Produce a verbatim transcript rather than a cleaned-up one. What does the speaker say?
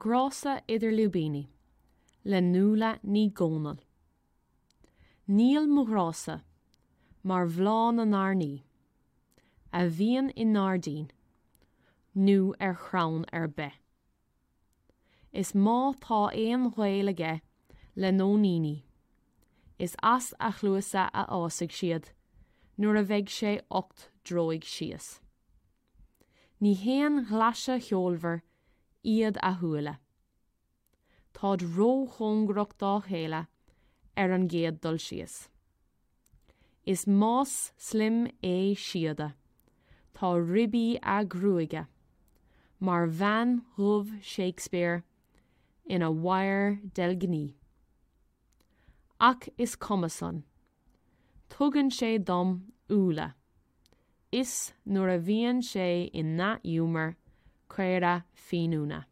Grása idir lúibíní le Nuala Ní Dhomhnaill. Níl mo ghrása mar bhláth na n-airní, a bhíonn i ngairdín nó ar chrann ar bith. Is má tá aon ghaol aige le nóiníní, is as a chluasa a fhásfaidh siad nuair a bheidh sé ocht dtroigh síos. Ní haon ghlaise cheolmhar iad a shúile. Táid róchóngarach dá chéile ar an gcéad dul síos. Is más slim é síoda, tá ribí a ghruaige, mar bhean dhubh Shakespeare ina wire deilgní. Ach is cuma san, tugann sé dom úlla, is nuair a bhíonn sé i ndea-ghiúmar caora fíniúna.